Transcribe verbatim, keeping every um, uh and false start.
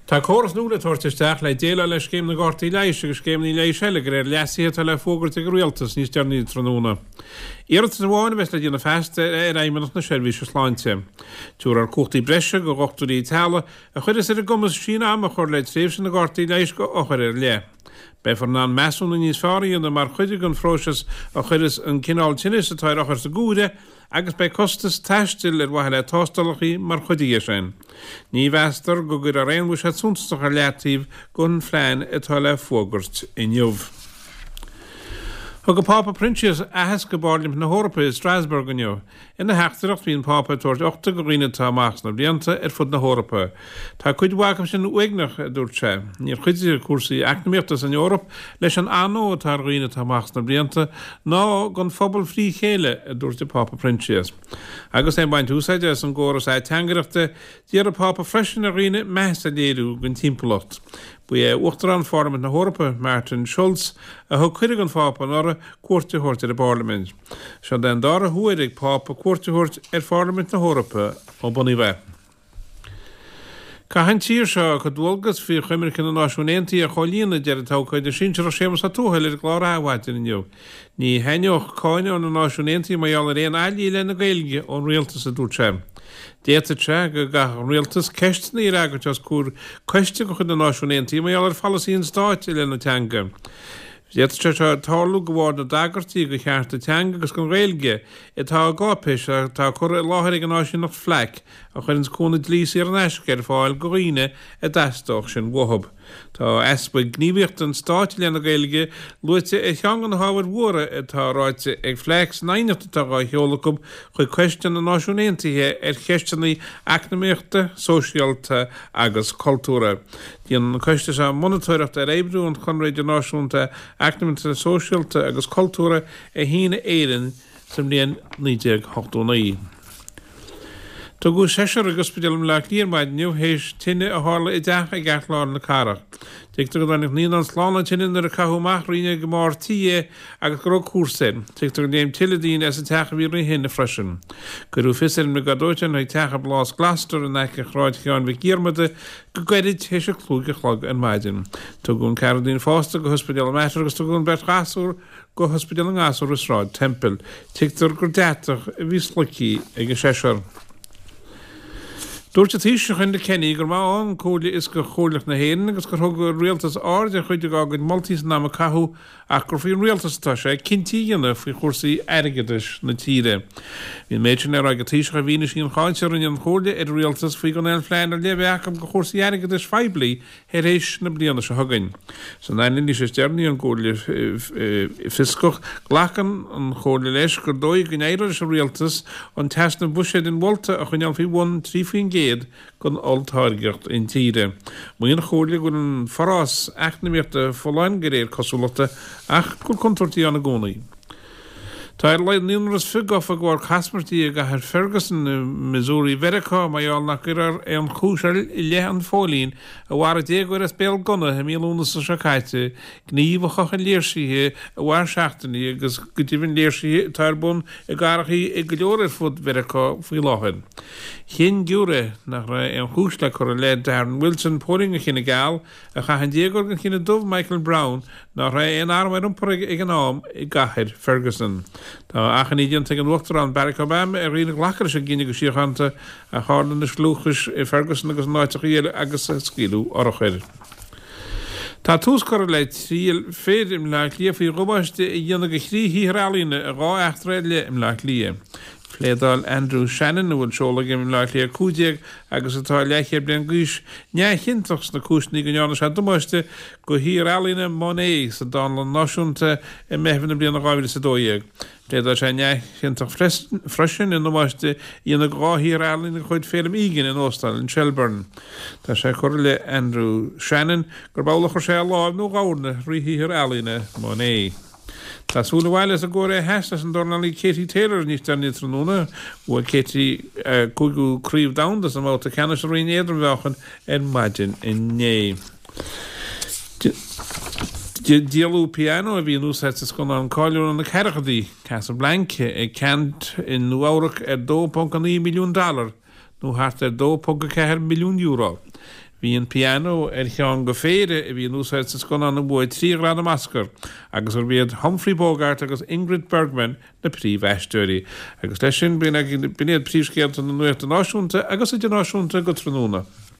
Tá córas nua le tabhairt isteach le déileáil le scéim na gcártaí leighis agus scéimeanna leighis eile de réir leasuithe atá le fógairt ag an Rialtas níos deireanaí tráthnóna. Iarratas amháin a bheas le déanamh feasta ar Fheidhmeannacht na Seirbhíse Sláinte. Tabharfar cumhachtaí breise do dhochtúirí teaghlaigh a chuirfeas ar a gcumas síneadh ama a chur le tréimhse na gcártaí leighis do othair ar leith. Beifear in ann measúnú níos fearr a dhéanamh mar chuid den phróiseas a chuirfeas an cineál tinnis atá ar othar sa gcomhaireamh agus beidh costas taistil ar mhaithe le tástálacha mar chuid dhe sin. Ní mheastar go gcuirfear aon bhuiséad suntasach ar leataobh don phlean atá le fógairt inniu. Thug an Pápa Proinsias aitheasc i bPairlimint na hEorpa i Strasbourg inniu. Ina theachtaireacht bhí an Pápa ag tabhairt uchta do dhaoine atá amach sna blianta ar fud na hEorpa. Tá cuid mhaith acu sin uaigneach, a dúirt sé. Níor chuidigh cúrsaí eacnamaíochta san Eoraip leis an anó atá ar dhaoine atá amach sna blianta ná don phobal frí chéile, a dúirt an Pápa Proinsias. Agus é ag baint úsáide as an gcóras ateangaireachta, d'iarr an Pápa freisin ar dhaoine meas a léiriú don timpeallacht. Ba é Uachtarán Pharlaimint na hEorpa, Martin Schulz, a thug cuireadh don Phápa anuraidh cuairt a thabhairt ar an bParlaimint. Seo den dara huair ag Pápa cuairt a thabhairt ar Pharlaimint na hEorpa ó bunaíodh é. Caithfidh an tír seo a cuid dualgas faoi Choimirce na Náisiún Aontaithe a chomhlíonadh, a deir an t-abhcóide sinsearach Séamus Ó Tuathail ar an gclár Adhmhaidin inniu. Ní thaitneodh cáineadh ó na Náisiúin Aontaithe mar gheall ar aon fhaillí i leith na Gaeilge ón rialtas, a dúirt sé. D'fhéadfadh sé go gcaithfeadh an rialtas ceisteanna a fhreagairt os comhair coiste de chuid na Náisiún Aontaithe mar gheall ar pholasaí an stáit i leith na teanga. D'fhéadfadh sé seo tarlú de bharr na dtagairtí do chearta teanga agus don Ghaeilge atá i gcáipéis atá curtha i láthair ag an áisíneacht FLAC, a chuireanns cúnamh dlí saor in aisce ar fáil do dhaoine a dteastódh sin uathu. Tá easpa gníomhaíochta an stáit i leith na Gaeilge luaite ar cheann de na hábhair mhóra atá ráite ag FLAC san aighneacht atá á sheoladh acu chuig Coiste na Náisiún Aontaithe ar cheisteanna eacnamaíochta, sóisialta agus cultúrtha. Déanann an coiste seo monatóireacht ar oibriú an Chonradh Idirnáisiúnta Eacnamaíochta, Sóisialta agus Cultúrtha a shínigh Éirinn sa mbliain naoi déag ochtó naoi. Tugadh seisear chuig ospidéal i mBaile Átha Cliath ar maidin inniu théis tine a tharla i dteach i gceartlár na cathrach. Tuigtear go dtáinig naíonán slán ón tine nuair a caitheadh amach roinnt ag an mbarr tí é agus go raibh cúrsa air. Tuigtear gur léim tuilleadh daoine as an teach a bhí roimh thine freisin. Cuireadh fios ar an mBriogáid Dóiteáin chuig teach i bPlás Gloucester in aice Shráid Sheáin Mhic Dhiarmada go gairid théis a cúig a chlog ar maidin. Tugadh an ceathrar daoine fásta go hOspidéal an Mater agus tugadh an bheirt ghasúr go hOspidéal na nGasúr i Sráid Temple. Tuigtear gur deatach a bhí sloigthe ag an seisear. Dúirt an Taoiseach Enda Kenny gur maith ann Comhairle Fhioscach Chomhairleach na hÉireann agus gur thug an Rialtas aird ar chuid dá gcuid moltaí san am a caitheadh ach gur faoin Rialtas atá sé cinntí a dhéanamh faoi chúrsaí airgeadais na tíre. Bhí an méid sin le rá ag an Taoiseach i bhfianaise an cháinte a rinne an Chomhairle ar an Rialtas faoi gan aon phlean ar leith a bheith acu do chúrsaí airgeadais phoiblí tar éis na bliana seo chugainn. San anailís is deireanaí ón gComhairle Fhioscach, glacann an Chomhairle leis gur dóigh go n-éireoidh leis an Rialtas an t-easnamh buiséid inmholta a choinneáil faoi bhun trí faoin gcéad den olltáirgeacht intíre. Maíonn an Chomhairle go bhfuil an forás eacnamaíochta folláin de réir cosúlachta ach go bhfuil contúirtí ann i gcónaí. Tá ar a laghad naonúr is fiche gafa de bharr caismirtí i gcathair Ferguson i Missouri Mheiriceá mar gheall nach gcuirfear aon chúis i leith an phóilín a mharaigh déagóir as béal gunna i mí Lúnasa seo caite, gníomh a chothaigh léirsithe a mhair seachtainí agus go deimhin léirsithe atá ar bun i gcathracha go leor ar fud Mheiriceá faoi láthair. Chinn giúiré nach raibh aon chúis le cur i leith Darren Wilson, póilín den chine geal, a chaith an déagóir den chine dubh Michael Brown, nach raibh aon arm ar iompar aige ag an am i gcathair Ferguson. Tá achainí déanta ag an Uachtarán Barack Obama ar dhaoine glacadh leis an gcinneadh go síochánta a tharla na scliúchais i Ferguson agus in áiteacha eile agus ag scaoileadh urchair. Tá tús curtha le triail fir i mBleá Cliath faoi dhamáiste a dhéanamh do thrí shaothar ealaíne i dhá eachtra ar leith i mBleá Cliath. Phléadáil Andrew Shannon, a bhfuil seoladh aige i mBleá Cliath a cúig déag agus atá leathchéad bliain d'aois, neamhchiontach sna cúiseanna go ndearna sé damáiste do shaothar ealaíne Monet sa Dánlann Náisiúnta i Meitheamh na bliana dhá mhíle is a dó dhéag. Phléadáil sé neamhchiontach freisin i ndamáiste a dhéanamh do dhá shaothar ealaíne de chuid Feidhlim Egan in Óstán an Shelbourne. Tá sé curtha i leith Andrew Shannon gurb amhlaidh a chuir sé a lámh nó a dhorn thrí shaothar ealaíne Monet. Tá súil abhaile as an gCóiré Theas leis an dornálaí Katie Taylor níos deireanaí tráthnóna. Bhuaigh Katie a cúigiú craobh domhanda sa mbabhta ceannais sa roinn éadrom-mheáchain ar maidin inné. Díoladh pianó a bhí in úsáid sa scannán cáiliúil na ceathrachaidí, Casablanca, ag ceant i Nua-Eabhrac ar dó ponc a naoi milliún dollar, nó thart ar dó ponc a ceathair milliún euro. Bhí an pianó ar cheann de phéire a bhí in úsáid sa scannán a bhuaigh trí ghradam Oscar, agus gurb iad Humphrey Bogart agus Ingrid Bergman na príomhaisteoirí. Agus leis sin b'in iad príomhscéalta na nuachta náisiúnta agus idirnáisiúnta go tráthnóna.